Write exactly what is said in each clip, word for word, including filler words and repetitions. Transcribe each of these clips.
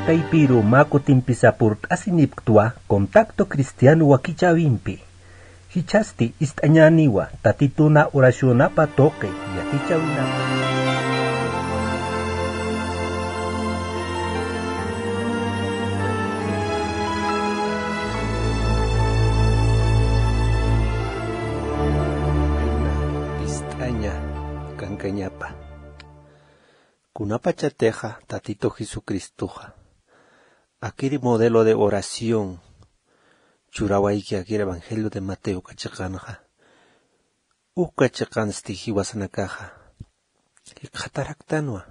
Taypiru mä kutimpisa purt'asinipktwa Contacto Cristiano wakichäwimpi. Jichhasti ist'añäniwa Tatituna oracionapa tuqi yatichäwinapa. Ist'aña kankañapa. Kunapachatixa Tatitu Jesucristoxa akiri modelo de oración churawayki akiri Evangelio de Mateo uka chiqanxa, uka chiqansti jiwasanakaxa jikxataraktanwa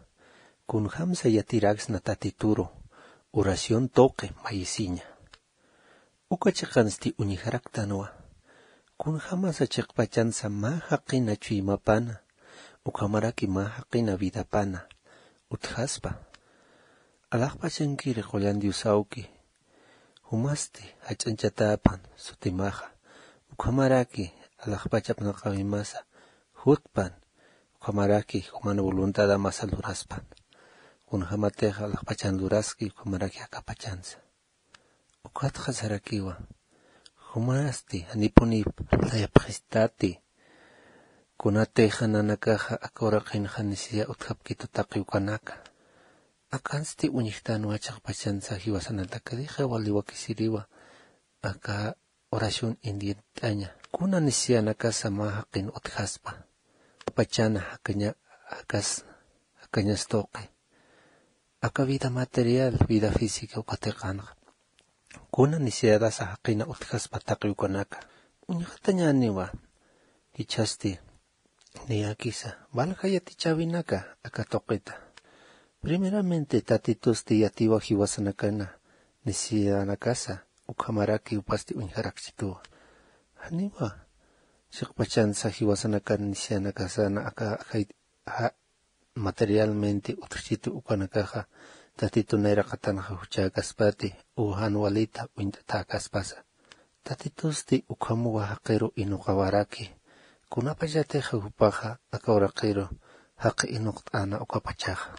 kunjamsa yatiraksna Tatituru oración tuqi mayisiña. Uka chiqansti uñjaraktanwa kunjamasa chiqpachansa mä jaqina chuymapana ukhamaraki mä jaqina vidapana utjaspa. Alaxpachankiri qullan Diosawki jumasti jach'añchatäpan sutimaxa ukhamaraki alaxpachap naqawimasa jutpan ukhamaraki juman voluntadamasa luraspan. Kunjamatixa alaxpachan luraski ukhamaraki akapachansa. Ukatxa sarakiwa jumasti janipuni layapxistati. Kunatixa nanakaxa aka uraqinxa nisiya utjapkitu taqi ukanaka. Akansti uñjtanwa chiqpachansa jiwasanataka dixa wali wakisiriwa aka oración indient'aña kuna nisiyanakasa mä jaqin utjaspa. Pachana jakaña jakas jakañas tuqi aka vida material vida física uka tiqanxa kuna nisiyadas jaqina utjaspa taqi ukanaka. Uñjatañäniwa jichhasti niyakisa valja yatichäwinaka aka tuqita. Primeramente tatitusti yatiwa jiwasanakana nisiyadanakasa ukhamaraki jupasti uñjarakchituwa. Janiwa chiqpachansa jiwasanakan nisiyanakasana aka ajay materialmente utjchitu ukanakaxa tatitun nayraqatanxa juchäkaspati u jan walita uñt'atäkaspasa. Tatitusti ukhamuwa jaqiru inuqawaraki kunapachatixa jupaxa aka uraqiru jaqi inuqt'ana ukapachaxa.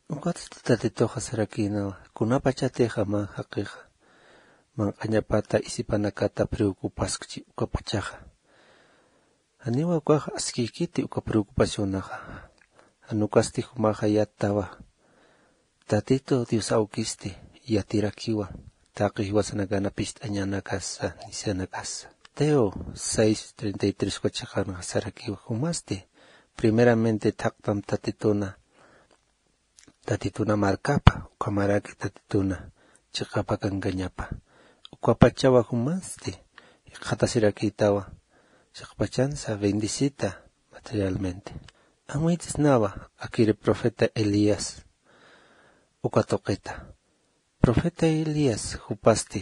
Ukatsti tatituxa sarakïnawa kunapachatixa mä jaqixa manq'añapata isipanakata preocupaskchi ukapachaxa. Janiwa ukax askïkiti uka preocupacionaxa. Jan ukasti jumaxa yattawa tatitu dios awkisti yatirakiwa taqi jiwasanakana pist'añanakasa nisianakasa. Teo seis treinta y tres uka chiqanxa sarakiwa jumasti primeramente thaqtam tatituna tatituna markapa ukhamaraki tatituna chiqapa kankañapa. Ukapachawa jumasti jikxatasirakïtawa chiqpachansa bendecita materialmente. Amuyt'isnawa akiri profeta elías uka tuqita. Profeta elías jupasti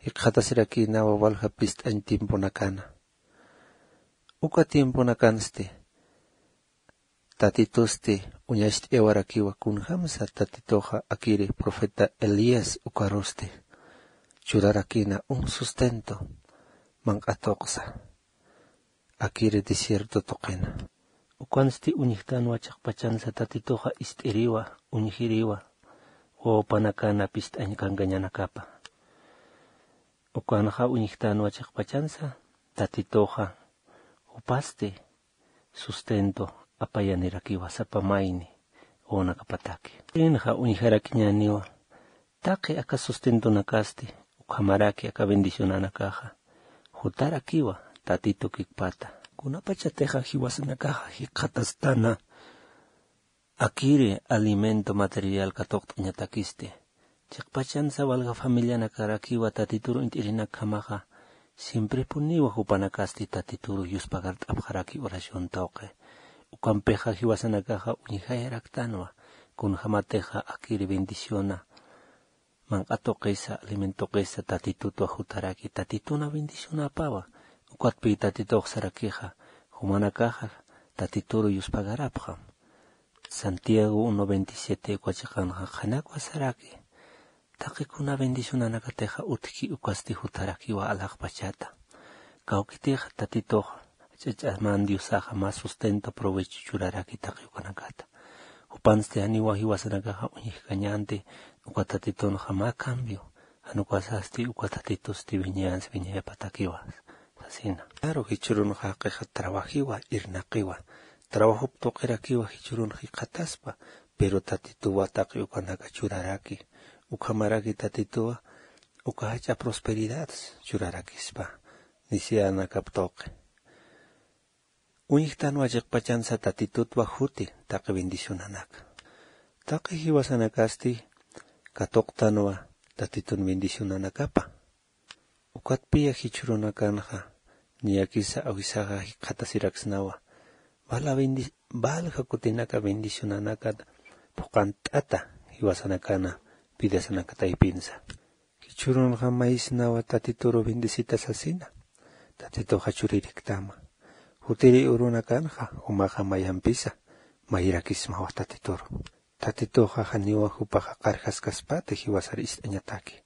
jikxatasirakïnawa walja pist'añ tiemponakana. Uka tiemponakansti tatitusti uñacht'ayawarakiwa kunjamsa tatituxa akiri profeta elías ukarusti churarakïna un sustento manq'atuqsa akiri desierto tuqina. Ukansti uñjtanwa chiqpachansa tatituxa ist'iriwa uñjiriwa wawapanakana pist'añ kankañanakapa. Ukanxa uñjtanwa chiqpachansa tatituxa jupasti sustento apayanirakiwa sapa mayni wawanakapataki. Inxa uñjarakiñäniwa taqi aka sustentonakasti ukhamaraki aka bendicionanakaxa jutarakiwa tatitu kikpata. Kunapachatixa jiwasanakaxa jikxatastana akiri alimento material katuqt'añatakisti chiqpachansa walja familianakarakiwa tatituru int'irinakjamaxa siemprepuniwa jupanakasti tatituru yuspagart'apxaraki oración tuqi. Ukampixa jiwasanakaxa uñjayaraktanwa kunjämatixa akiri bendiciona manq'a tuqisa alimento tuqisa tatitutwa jutaraki tatituna bendicionapawa. Ukatpï tatitux sarakixa jumanakaxa tatituru yuspagarapxam. Santiago uno veintisiete uka chiqanxa qhanakwa saraki taqi kuna bendicionanakatixa utjki ukasti jutarakiwa alaxpachata. Kawkitixa tatitux ch'ach'aman diosaxa mä sustento provecho churaraki taqi ukanakata. Jupansti janiwa jiwasanakaxa uñjkañanti Uka tatitunxa mä cambio, jan ukasasti uka tatitusti wiñayans wiñayapatakiwa sasina. Claro, jichhürunxa jaqixa trabajiwa, irnaqiwa. Trabajop tuqirakiwa jichhürun jikxataspa, pero tatituwa taqi ukanaka churaraki. Ukhamaraki tatituwa uka jach'a prosperidad churarakispa nisianakap tuqi. Uñjtanwa chiqpachansa tatitutwa juti taqi bendicionanaka. Taqi jiwasanakasti katuqtanwa tatitun bendicionanakapa. Ukatpiya jichhürunakanxa niyakisa awisaxa jikxatasiraksnawa. Valja kutinaka bendicionanakata phuqant'ata jiwasanakana vidasanaka taypinsa. Jichhürunxa maysnawa tatituru bendecita sasina. Tatituxa chuririktäma. Jutiri urunakanxa jumaxa mayampisa mayrakismawa tatituru. Tatituxa janiwa jupaxa qarjaskaspati jiwasar ist'añataki.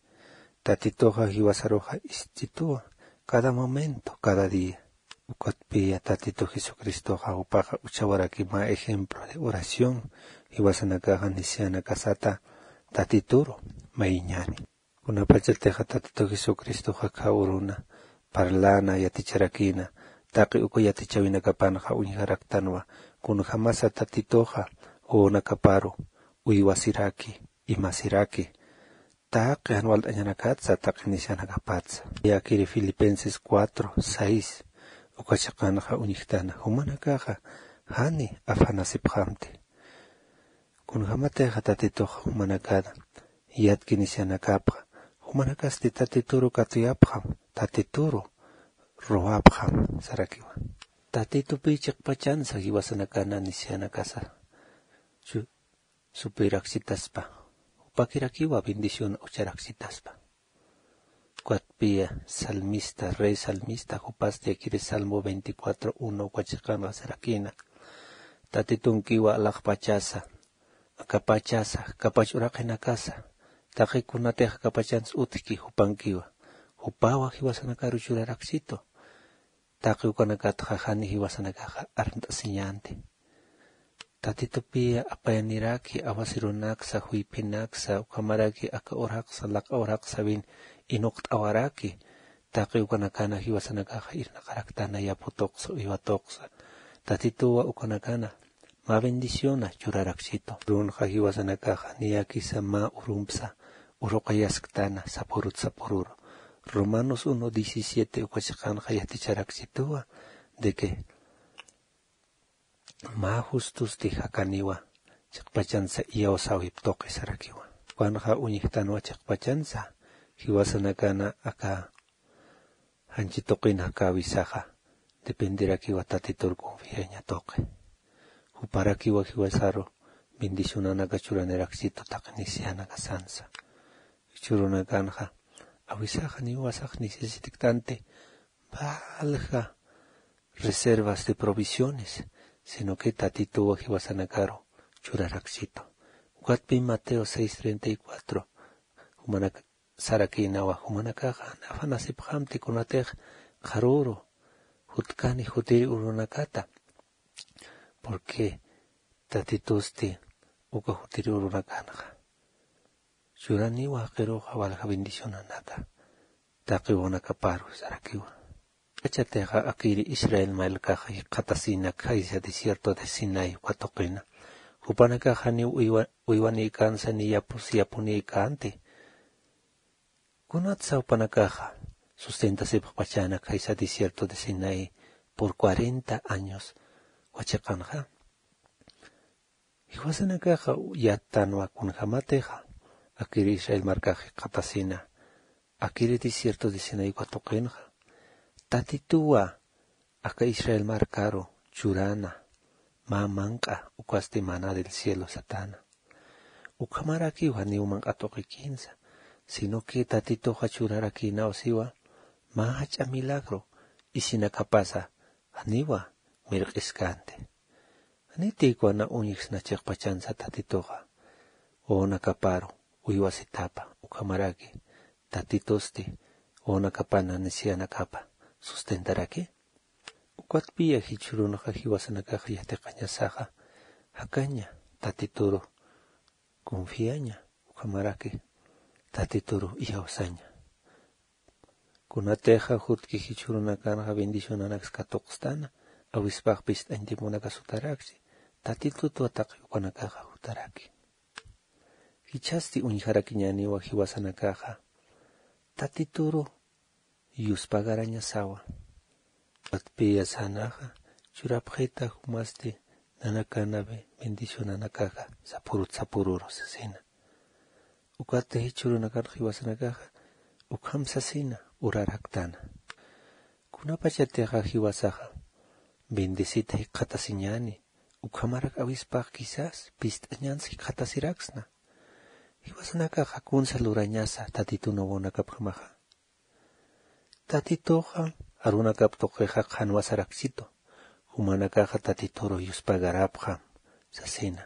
Tatituxa jiwasaruxa ist'ituwa cada momento, cada día. Ukatpiya tatitu jesucristoxa jupaxa uchawaraki mä ejemplo de oración jiwasanakaxa nisianakasata tatituru mayiñani. Kunapachatixa tatitu jesucristoxa kha uruna parlana yaticharakina taqi uka yatichawinakapanxa uñjaraktanwa. Kunjamasa tatituxa uunakaparu uywasiraki, imasiraki taqi jan walt'añanakatsa taqi nisianakapatsa. Yakiri filipenses cuatro seis uka chiqanxa uñjtana jumanakaxa jani afanasipxamti. Kunjamatixa tatituxa jumanakana yatki nisianakapxa jumanakasti tatituru katuyapxam, tatituru ruwapxam sarakiwa. Tatitupi chiqpachansa jiwasanakana nisianakasa supiraksitaspa jupakirakiwa bendición ucharaksitaspa. Ukatpiya salmista rey salmista jupasti akiri salmo veinticuatro uno uka chiqanxa sarakina. Tatitunkiwa alaxpachasa akapachasa kapach uraqinakasa taqi kunatix akapachans utjki jupankiwa. Jupawa jiwasanakaru churaraksitu. Taqi ukanakatxa jani jiwasanakaxa armt'asiñänti. Tatitupiya apayaniraki awasirunaksa juyphinaksa ukhamaraki aka uraqsa laq'a uraqsawin inuqt'awaraki. Taqi ukanakana jiwasanakaxa irnaqaraktana yapu tuqsa uywa tuqsa. Tatituwa ukanakana mä bendiciona churaraksitu. Runxa jiwasanakaxa niyakisa mä urumpsa uruqayasktana sapurut sapururu. Romanos uno diecisiete uka chiqanxa yaticharaksituwa de que mä justusti jakaniwa chiqpachansa iyawsäwip tuqi sarakiwa. Ukanxa uñjtanwa chiqpachansa jiwasanakana aka janchi tuqin jakäwisaxa dependerakiwa tatitur confiaña tuqi. Juparakiwa jiwasaru bendicionanaka churaniraksitu taqi nisianakasansa. Jichhürunakanxa awisaxa niwasax necesitiktanti valja reservas de provisiones sino que tatituwa jiwasanakaru churaraksitu. Ukatpi mateo seis treinta y cuatro jumanak sarakïnawa jumanakaxa afanasipxamti kunatix qharüru jutkani jutiri urunakata. Porque tatitusti uka jutiri urunakanxa churaniwa jaqiruxa walja bendicionanaka taqi uwanakaparu sarakiwa. Kachatixa akiri israel markaxa jikxatasina khaysa desierto de sinai uka tuqina jupanakaxa ni uywanïkansa ni yapus yapunïkänti. Kunatsa jupanakaxa sustentasipxpachäna khaysa desierto de sinai por cuarenta años uka chiqanxa. Jiwasanakaxa yattanwa kunjämatixa akiri israel markax jikxatasina akiri desierto de sinai uka tuqinxa tatituwa aka israel markaru churana mä manq'a ukasti maná del cielo satäna. Ukhamarakiw janiw manq'a tuqikïnsa sino que tatituxa churarakïnaw siwa mä jach'a milagro isinakapasa janiwa mirq'iskänti. Janitïkwana uñjsna chiqpachansa tatituxa wawanakaparu uywasitapa ukhamaraki tatitusti wawanakapana nisianakapa sustentaraki. Ukatpiya jichhürunxa jiwasanakaxa yatiqañasaxa jakaña tatituru confiaña. Ukhamaraki tatituru iyawsaña. Kunatixa jutki jichhürunakanxa bendicionanaks katuqstana, awispax pist'añ tiemponakas jutarakchi, tatitutwa taqi ukanakaxa jutaraki. Jichhasti uñjarakiñäniwa jiwasanakaxa tatituru yuspagarañasawa. Ukatpiyasanaxa churapxita jumasti nanakanawi bendicionanakaxa sapurut sapururu sasina. Ukatsti jichhürunakan jiwasanakaxa ukham sasina uraraktana. Kunapachatixa jiwasaxa bendecita jikxatasiñäni, ukhamarak awispax quizás pist'añans jikxatasiraksna. Jiwasanakaxa kunsa lurañasa tatitun wawanakapjamaxa. Tatituxa arunakap tuqixa qhanwa sarakchitu, jumanakaxa tatituru yuspagarapxam sasina.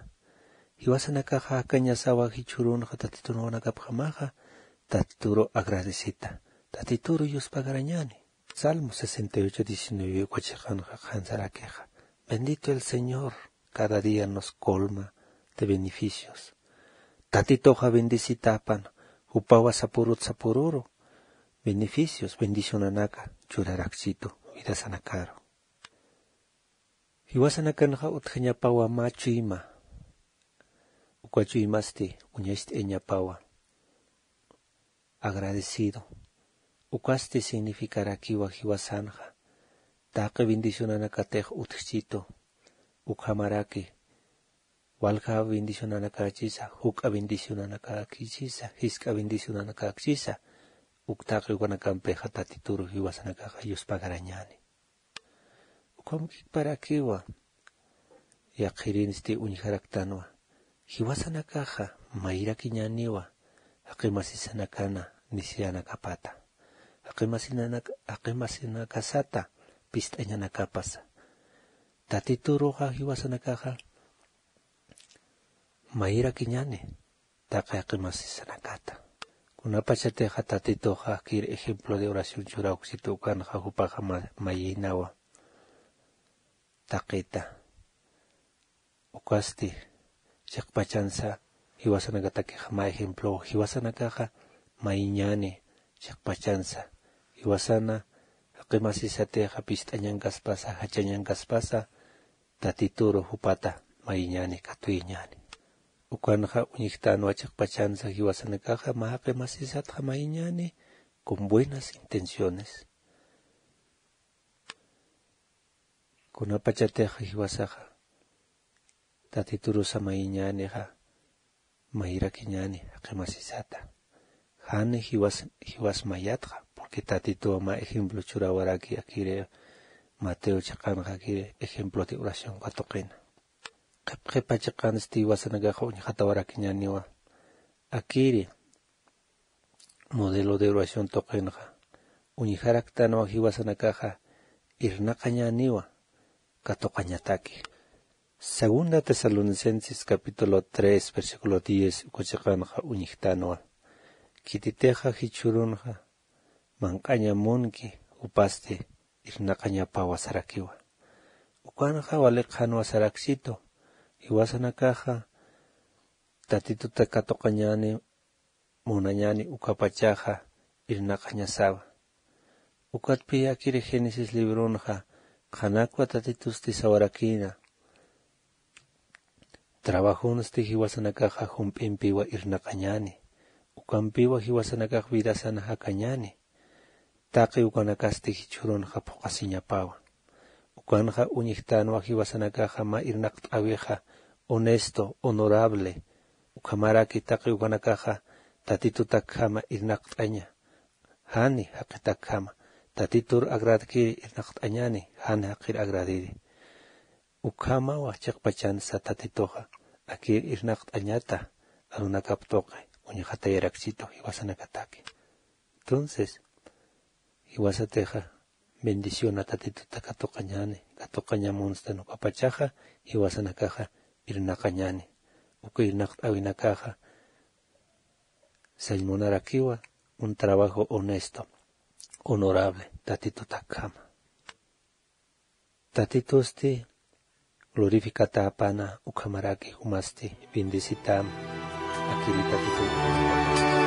Jiwasanakaxa jakañasawa jichhürunxa tatitun wawanakapjamaxa tatituru agradecita, tatituru yuspagarañäni. Salmo sesenta y ocho diecinueve uka chiqanxa qhan sarakixa: Bendito el Señor, cada día nos colma de beneficios. Tatituxa bendecitäpan, jupawa sapurut sapururu beneficios, bendicionanaka churarakchitu vidasanakaru. Jiwasanakanxa utjañapawa mä chuyma, uka chuymasti uñacht'ayañapawa agradecido. Ukasti significarakiwa jiwasanxa taqi bendicionanakatix utjchitu, ukhamaraki walja bendicionanakachisa, juk'a bendicionanakachisa, jisk'a bendicionanakachisa, uk taqi ukanakampixa tatituru jiwasanakaxa yuspagarañäni. Ukham kikparakiwa, yaqhirinsti uñjaraktanwa, jiwasanakaxa mayrakiñäniwa jaqi masisanakana necesidadnakapata, jaqi masinak-, jaqi masinakasata pist'añanakapasa. Tatituruxa jiwasanakaxa mayrakiñäni taqi jaqi masisanakata. Kunapachatixa tatituxa jaqir ejemplo de oración churawksitu ukanxa jupaxa ma-, mayïnawa taqita. Ukasti chiqpachansa jiwasanakatakixa mä ejemplow, jiwasanakaxa mayïñäni chiqpachansa. Jiwasana jaqi masisatixa pist'añankaspasa, jachañankaspasa, tatituru jupata mayïñäni, katuyañäni. Ukanxa uñjtänwa chiqpachansa jiwasanakaxa mä jaqi masisatxa mayïñäni con buenas intenciones. Kunapachatixa jiwasaxa tatiturusa mayïñänixa mayrakiñäni jaqi masisata. Jani jiwas, jiwas mayatxa, porque tatituwa mä ejemplo churawaraki akiri Mateo chiqanxa akiri ejemplo de oración katuqina. Qhipqhipa chiqansti jiwasanakaxa uñjatawarakiñäniwa akiri modelo de oración tuqinxa. Uñjaraktanwa jiwasanakaxa irnaqañäniwa katuqañataki. Segunda Tesalonicenses capítulo tres, versículo diez, uka chiqanxa uñjtanwa. Khititixa jichhürunxa manq'aña munki, jupasti irnaqañapawa sarakiwa. Ukanxa wali qhanwa sarakchitu, jiwasanakaxa tatituta katuqañäni, munañäni ukapachaxa irnaqañasawa. Ukatpï akiri Génesis libronxa qhanakwa tatitusti sawarakïna. Trabajonsti jiwasanakaxa jump'impiwa irnaqañäni. Ukampiwa jiwasanakax vidasan jakañäni. Taqi ukanakasti jichhürunxa phuqhasiñapawa. Ukanxa uñjtänwa jiwasanakaxa mä irnaqt'äwixa honesto, honorable. Ukhamaraki taqi ukanakaxa tatitutakjama irnaqt'aña. Jani jaqitakjama. Tatitur agradkiri irnaqt'añäni, jan jaqir agradiri. Ukhamawa chiqpachansa tatituxa akir irnaqt'añata arunakap tuqi uñjatayarakchitu jiwasanakataki. Entonces, jiwasatixa bendiciona tatituta katuqañäni, katuqaña munstan ukapachaxa jiwasanakaxa irnaqañäni. Uka irnaqt'äwinakaxa sañ munarakiwa un trabajo honesto, honorable tatitutakjama. Tatitusti glorificatäpana, ukhamaraki jumasti bendecitäma. Akhiripatitun.